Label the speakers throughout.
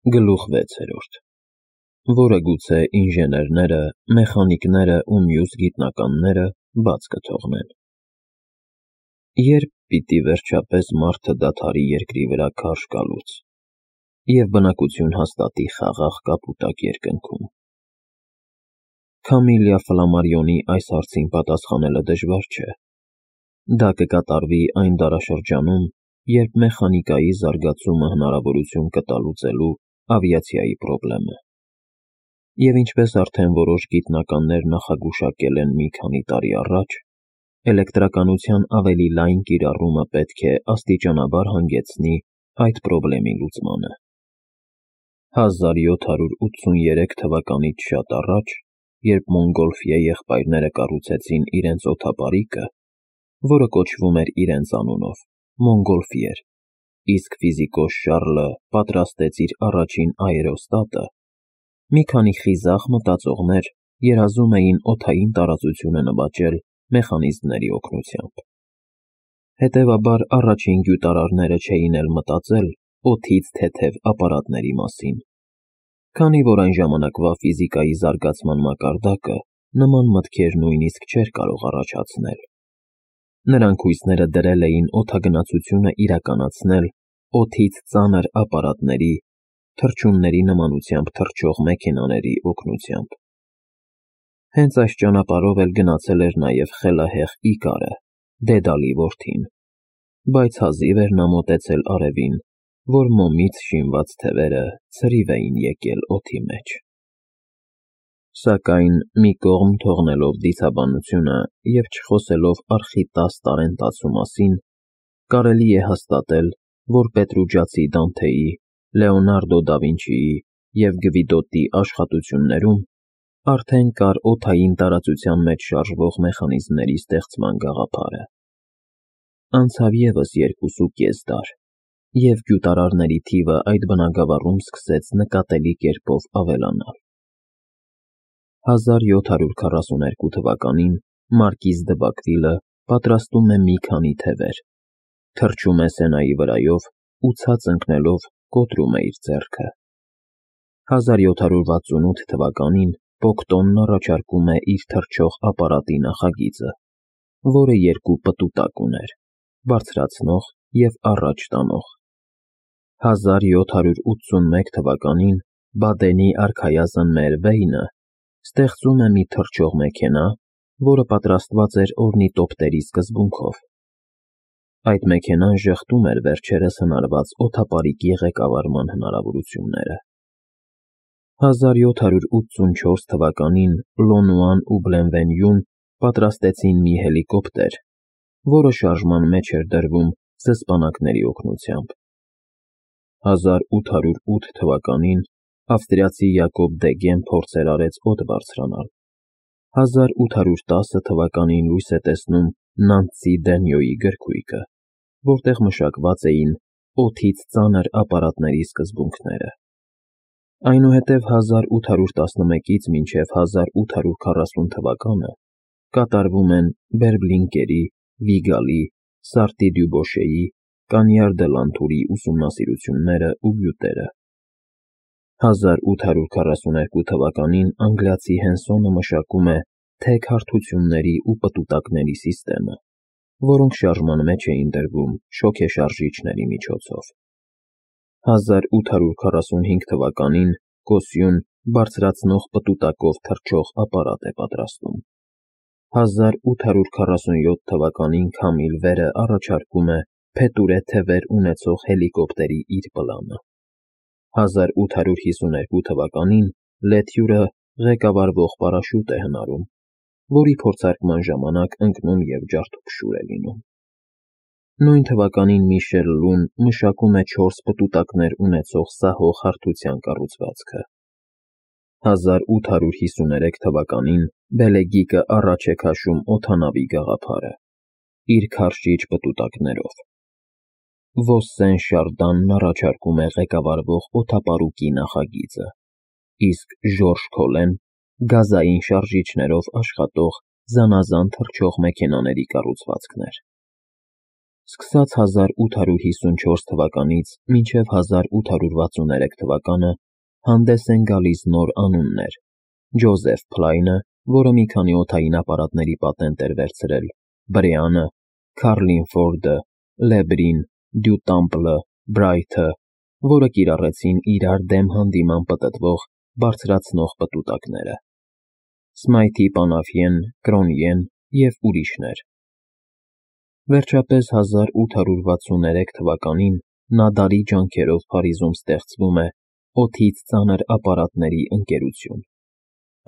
Speaker 1: Գլուխ 6, որը գուցե ինժեներները, մեխանիկները ու մյուս գիտնականները բաց կթողնեն։ Երբ պիտի վերջապես մարդը դադարի երկրի վրա քարշ գալուց և բնակություն հաստատի խաղաղ կապուտակ երկնքում։ Քամիլիա Ֆլամարիոնի այս հարցին պատասխանելը դժվար չէ։ Դա կկատարվի այն դարաշրջանում, երբ մեխանիկայի զարգացումը հնարավորություն կտա լուծելու ավիացիայի պրոբլեմը։ Եվ ինչպես արդեն որոշ գիտնականներ նախագուշակել են մի քանի տարի առաջ, էլեկտրականության ավելի լայն կիրառումը պետք է աստիճանաբար հանգեցնի այդ պրոբլեմի լուծմանը։ 1783 թվականից շատ առաջ, երբ Մոնգոլֆիե եղբայրները կառուցեցին իրենց օդապարիկը, որը կոչվում էր իրենց անունով Մոնգոլֆիեր, իսկ ֆիզիկոս Շառլը պատրաստեց իր առաջին աերոստատը, մի քանի խիզախ մտածողներ երազում էին օդային տարածությունը նվաճել մեխանիզմների օգնությամբ։ Հետևաբար առաջին գյուտարարները չէին էլ մտածել օդից թեթև ապարատների մասին, քանի որ այն ժամանակվա ֆիզիկայի զարգացման մակարդակը նման մտքեր նույնիսկ չէր կարող առաջացնել։ Նրանք հույսները դրել էին օդագնացությունը իրականացնել օդից ծանր ապարատների, թռչունների նմանությամբ թռչող մեքենաների օգնությամբ։ Հենց այս ճանապարհով էլ գնացել էր նաև խելահեղ Իկարը, Դեդալի որդին, բայց հազիվ էր նա մոտեցել արևին, որ մոմից շինված թևերը ցրիվ էին եկել օդի մեջ։ Սակայն մի կողմ թողնելով դիցաբանությունը և չխոսելով արխի 10 տարենտացու մասին, կարելի է հաստատել, որ Պետրուջացի Դանթեի, Լեոնարդո դա Վինչիի և Գվիդոտի աշխատություններում արդեն կար օդային տարածության մեջ շարժվող մեխանիզմների ստեղծման գաղափարը։ Անցավ ևս 2.5 դար, և գյուտարարների թիվը այդ բնագավառում սկսեց նկատելի կերպով ավելանալ։ 1742 թվականին մարկիզ դը Բակվիլը պատրաստում է մի քանի թևեր, թռչում է Սենայի վրայով ու ցած ընկնելով կոտրում է իր ձեռքը։ 1768 թվականին Պոկտոնն առաջարկում է իր թռչող ապարատի նախագիծը, որը երկու պտուտակ ուներ՝ բարձրացնող և առաջ տանող։ 1781 թվականին Բադենի արքայազն Մերվեյնը ստեղծում է մի թռչող մեքենա, որը պատրաստված էր օրնիտոպտերի սկզբունքով։ Այդ մեքենան ժխտում էր վերջերս հնարված օդապարիկի ղեկավարման հնարավորությունները։ 1784 թվականին Լոնուան ու Բլենվենյուն պատրաստեցին մի հելիկոպտեր, որը շարժման մեջ էր դրվում զսպանակների օգնությամբ։ 1808 թվականին ավստրիացի Յակոբ Դեգեն փորձեր արեց օդ բարձրանալ։ 1810 թվականին լույս է տեսնում Նանսի Դենյոյի գրքույկը, որտեղ մշակված էին օդից ծանր ապարատների սկզբունքները։ Այնուհետև 1811-ից մինչև 1840 թվականը կատարվում են Բերբլինկերի, Վիգալի, Սարտի Դյուբոշեի, Կանյար դե Լանթուրի ուսումնասիրությունները ու գյուտերը։ 1842 թվականին անգլիացի Հենսոնը մշակում է թեք հարթությունների ու պտուտակների սիստեմը, որոնք շարժման մեջ էին դրվում շոգեշարժիչների միջոցով։ 1845 թվականին Կոսյուն բարձրացնող պտուտակով թռչող ապարատ է պատրաստում։ 1847 թվականին Քամիլ Վերը առաջարկում է փետուրե թևեր ունեցող հելիկոպտերի իր պլանը։ 1852 թվականին Լեթյուրը ղեկավարվող պարաշյուտ է հնարում, որի փորձարկման ժամանակ ընկնում և ջարդուփշուր է լինում։ Նույն թվականին Միշել Լուն մշակում է 4 պտուտակներ ունեցող սահող հարթության կառուցվածքը։ 1853 թվականին Բելեգիկը առաջ է քաշում օդանավի գաղափարը՝ իր քարշիչ պտուտակներով։ Վոսսեն Շարդանն առաջարկում է ղեկավարվող օդապարուկի նախագիծը, իսկ Ժորժ Քոլեն՝ գազային շարժիչներով աշխատող զանազան թռչող մեքենաների կառուցվածքներ։ Սկսած 1854 թվականից մինչև 1863 թվականը հանդես են գալիս նոր անուններ. Ջոզեֆ Փլայնը, որը մի քանի օդային ապարատների պատենտ էր վերցրել, Բրեանը, Քարլին Ֆորդը, Լեբրին, Դյուտամպլը, Բրայթը, որը կիրառեցին իրար դեմ հանդիման պտտվող բարձրացնող պտուտակները, Սմայթի Պանաֆյեն, Կրոնիեն և ուրիշներ։ Վերջապես 1863 թվականին Նադարի ջանքերով Փարիզում ստեղծվում է օդից ծանր ապարատների ընկերություն։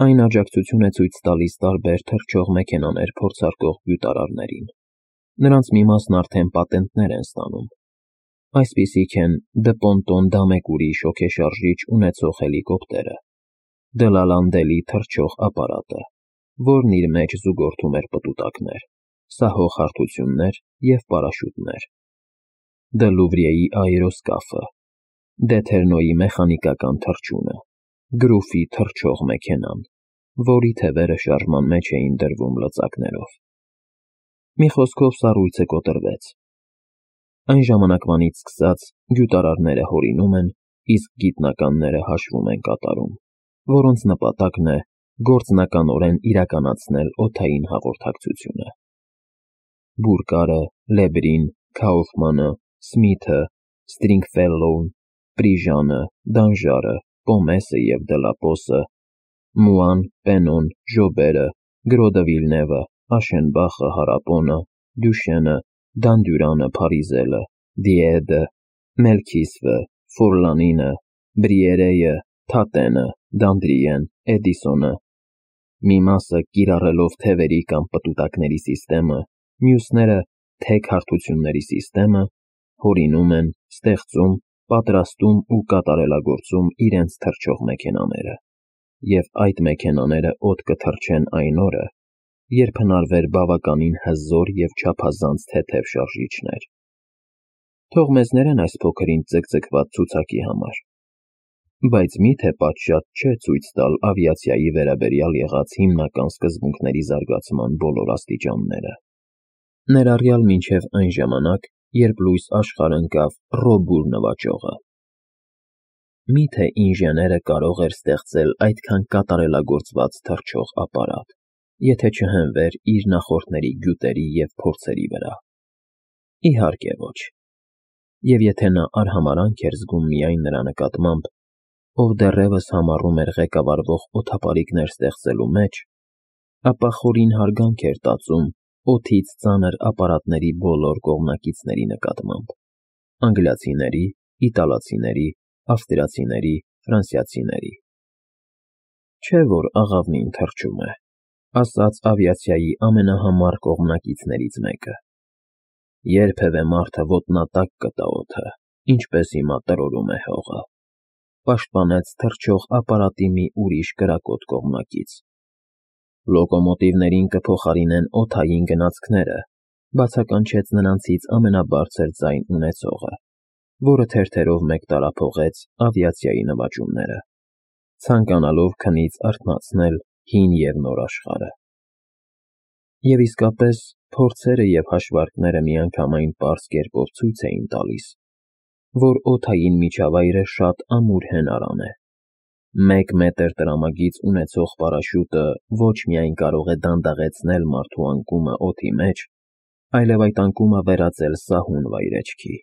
Speaker 1: Այն աջակցություն է ցույց տալիս տարբեր թռչող մեքենաներ փորձարկող գյուտարարներին։ Նրանց մի մասն արդեն պատենտներ են ստանում։ Այսպիսիք են Դպոնտոն Դամեկուրի շոգեշարժիչ ունեցող հելիկոպտերը, Դլալանդելի թռչող ապարատը, որն իր մեջ զուգորդում էր պտուտակներ, սահող հարթություններ և պարաշյուտներ, Դլուվրիեի աերոսկաֆը, Դեթերնոյի մեխանիկական թռչունը, Գրուֆի թռչող մեքենան, որի թևերը շարժման մեջ էին դրվում լծակներով։ Մի խոսքով սառույցը կոտրվեց։ Այն ժամանակվանից սկսած գյուտարարները հորինում են, իսկ գիտնականները հաշվում են կատարում, որոնց նպատակն է գործնականորեն իրականացնել օդային հաղորդակցությունը։ Բուրկարը, Լեբրին, Քաուֆմանը, Սմիթը, Ստրինգֆելլոուն, Պրիժանը, Դանժարը, Պոմեսը և Դելապոսը, Մուան, Պենոն, Ժոբերը, Գրոդը Վիլնևը, Աշենբախը, Հարապոնը, Դյուշենը, Դանդյուրանը, Փարիզելը, Դիեդը, Մելքիսվը, Ֆորլանինը, Բրիերեյը, Թատենը, Դանդրիեն, Էդիսոնը, մի մասը կիրառելով թևերի կամ պտուտակների սիստեմը, մյուսները թեք հարթությունների սիստեմը, հորինում են, ստեղծում, պատրաստում ու կատարելագործում իրենց թռչող մեքենաները, և այդ մեքենաները օդ կթռչեն այն օրը, երբ հնարվեր բավականին հզոր և չափազանց թեթև շարժիչներ։ Թող մեզ ներեն այս փոքր-ինչ ձգձգված ցուցակի համար, բայց մի՞թե պատշաճ չէ ցույց տալ ավիացիայի վերաբերյալ եղած հիմնական սկզբունքների զարգացման բոլոր աստիճանները, ներառյալ մինչև այն ժամանակ, երբ լույս աշխարհ ընկավ Ռոբուր նվաճողը։ Մի՞թե ինժեները կարող էր ստեղծել այդքան կատարելագործված թռչող ապարատ, եթե չհենվեր իր նախորդների գյուտերի և փորձերի վրա։ Իհարկե ոչ։ Եվ եթե նա արհամարհանք էր զգում միայն նրա նկատմամբ, ով դեռևս համառում էր ղեկավարվող օդապարիկներ ստեղծելու մեջ, ապա խորին հարգանք էր տածում օդից ծանր ապարատների բոլոր կողմնակիցների նկատմամբ՝ անգլիացիների, իտալացիների, ավստրիացիների, ֆրանսիացիների։ Չէ՞ որ աղավնին թռչում է, ասաց ավիացիայի ամենահամառ կողմնակիցներից մեկը։ Երբևէ մարդը ոտնատակ կտա օդը, ինչպես հիմա տրորում է հողը, պաշտպանեց թռչող ապարատի մի ուրիշ կրակոտ կողմնակից։ Լոկոմոտիվներին կփոխարինեն օդային գնացքները, բացականչեց նրանցից ամենաբարձր ձայն ունեցողը, որը թերթերով մեկ տարափոխեց ավիացիայի նվաճումները, ցանկանալով քնից արթնացնել հին և նոր աշխարհը։ Եվ իսկապես, փորձերը և հաշվարկները միանգամայն պարզ կերպով ցույց էին տալիս, որ օդային միջավայրը շատ ամուր հենարան է։ 1 մետր տրամագիծ ունեցող պարաշյուտը ոչ միայն կարող է դանդաղեցնել մարդու անկումը օդի մեջ, այլև այդ անկումը վերածել սահուն վայրէջքի։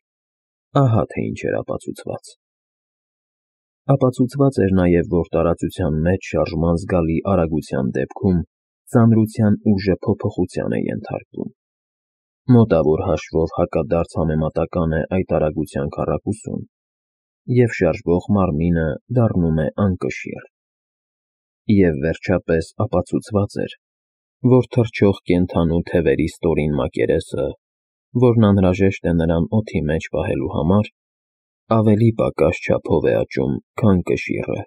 Speaker 1: Ահա թե ինչ էր ապացուցված։ Ապացուցված էր նաև, որ տարածության մեջ շարժման զգալի արագության դեպքում ծանրության ուժը փոփոխության է ենթարկվում։ Մոտավոր հաշվով հակադարձ համեմատական է այդ արագության քառակուսուն, և շարժվող մարմինը դառնում է անկշիռ։ Եվ վերջապես ապացուցված էր, որ թռչող կենդանու թևերի ստորին մակերեսը, որն անհրաժեշտ է նրան օդի մեջ պահելու համար, ավելի պակաս չափով է աճում, քան կշիռը,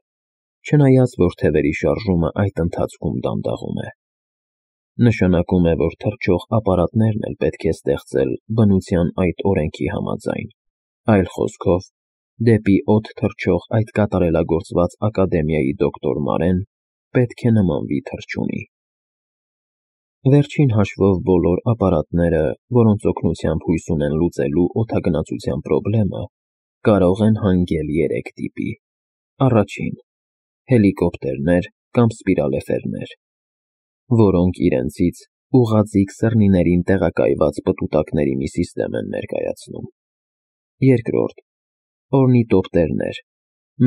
Speaker 1: չնայած որ թևերի շարժումը այդ ընթացքում դանդաղում է։ Նշանակում է, որ թռչող ապարատներն էլ պետք է ստեղծել բնության այդ օրենքի համաձայն, այլ խոսքով, դեպի օդ թռչող այդ կատարելագործված ակադեմիայի դոկտոր Մարեն պետք է նմանվի թռչունի։ Վերջին հաշվով բոլոր ապարատները, որոնց օգնությամբ հույս ունեն լուծելու օդագնացության խնդիրը, կարող են հանգել 3 տիպի. Առաջին. հելիկոպտերներ կամ սպիրալեֆերներ, որոնք իրենցից ուղղաձիգ սրնիներին տեղակայված պտուտակների մի սիստեմ են ներկայացնում։ Երկրորդ. օրնիտոպտերներ,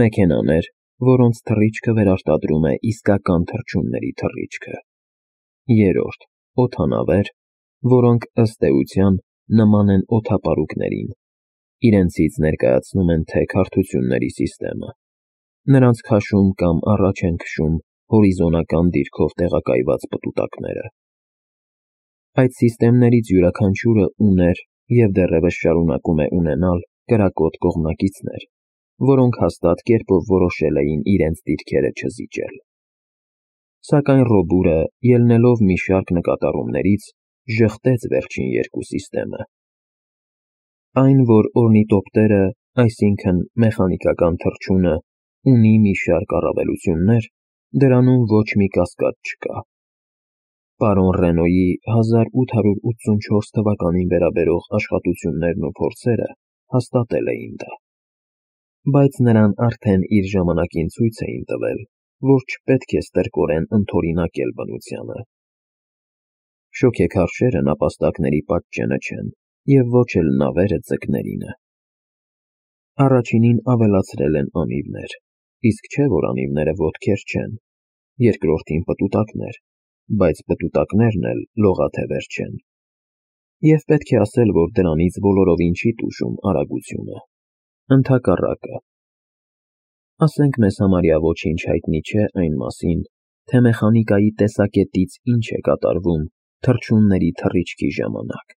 Speaker 1: մեքենաներ, որոնց թռիչքը վերարտադրում է իսկական թռչունների թռիչքը։ Երրորդ. օդանավեր, որոնք ըստ էության նման են օդապարուկներին, իրենցից ներկայացնում են թեք հարթությունների սիստեմը։ Նրանց քաշում կամ առաջ են քշում հորիզոնական դիրքով տեղակայված պտուտակները։ Այդ սիստեմներից յուրաքանչյուրը ուներ և դեռևս շարունակում է ունենալ կրակոտ կողմնակիցներ, որոնք հաստատ կերպով որոշել էին իրենց դիրքերը չզիջել։ Սակայն Ռոբուրը, ելնելով մի շարք նկատառումներից, ժխտեց վերջին երկու սիստեմը։ Այն, որ օրնիտոպտերը, այսինքն մեխանիկական թռչունը, ունի մի շարք առավելություններ, դրանում ոչ մի կասկած չկա։ Պարոն Ռենոյի 1884 թվականին վերաբերող աշխատություններն ու փորձերը հաստատել էին դա։ Բայց նրան արդեն իր ժամանակին ցույց էին տվել, որ չպետք է ստրկորեն ընդօրինակել բնությանը։ Շոգեքարշերը նապաստակների պատճենը չեն, և ոչ էլ նավերը ձկներինը։ Առաջինին ավելացրել են անիվներ, իսկ չէ՞ որ անիվները ոտքեր չեն, երկրորդին պտուտակներ, բայց պտուտակներն էլ լողաթևեր չեն։ Եվ պետք է ասել, որ դրանից բոլորովին չի տուժում արագությունը։ Ընդհակառակը։ Ասենք մեզ համարյա ոչինչ հայտնի չէ այն մասին, թե մեխանիկայի տեսակետից ինչ է կատարվում թռչունների թռիչքի ժամանակ,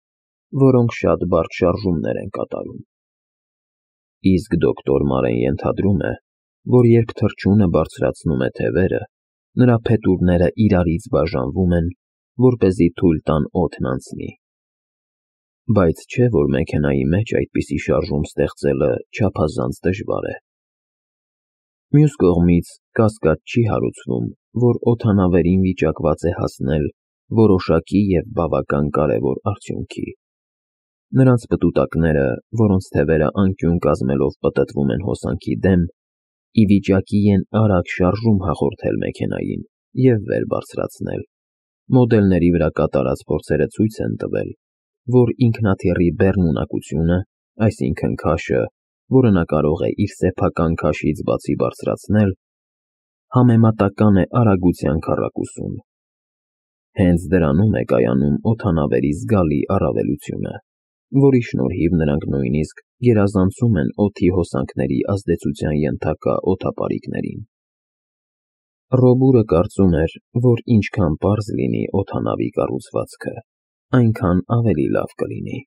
Speaker 1: որոնք շատ բարդ շարժումներ են կատարում։ Իսկ դոկտոր Մարեն ենթադրում է, որ երբ թռչունը բարձրացնում է թևերը, նրա փետուրները իրարից բաժանվում են, որպեսզի թույլ տան օդն անցնի։ Բայց չէ՞ որ մեքենայի մեջ այդպիսի շարժում ստեղծելը չափազանց դժվար է։ Մյուս կողմից, կասկած չի հարուցվում, որ օդանավերին վիճակված է հասնել որոշակի և բավական կարևոր արդյունքի։ Նրանց պտուտակները, որոնց թևերը անկյուն կազմելով պտտվում են հոսանքի դեմ, ի վիճակի են արագ շարժում հաղորդել մեքենային և վեր բարձրացնել։ Մոդելների վրա կատարած փորձերը ցույց են տվել, որ ինքնաթիռի բեռնունակությունը, այսինքն քաշը, որը նա կարող է իր սեփական քաշից բացի բարձրացնել, համեմատական է արագության քառակուսուն։ Հենց դրանում է կայանում օդանավերի զգալի առավելությունը, որի շնորհիվ նրանք նույնիսկ գերազանցում են օդի հոսանքների ազդեցության ենթակա օդապարիկներին։ Ռոբուրը կարծում էր, որ ինչքան պարզ լինի օդանավի կառուցվածքը, այնքան ավելի լավ կլինի։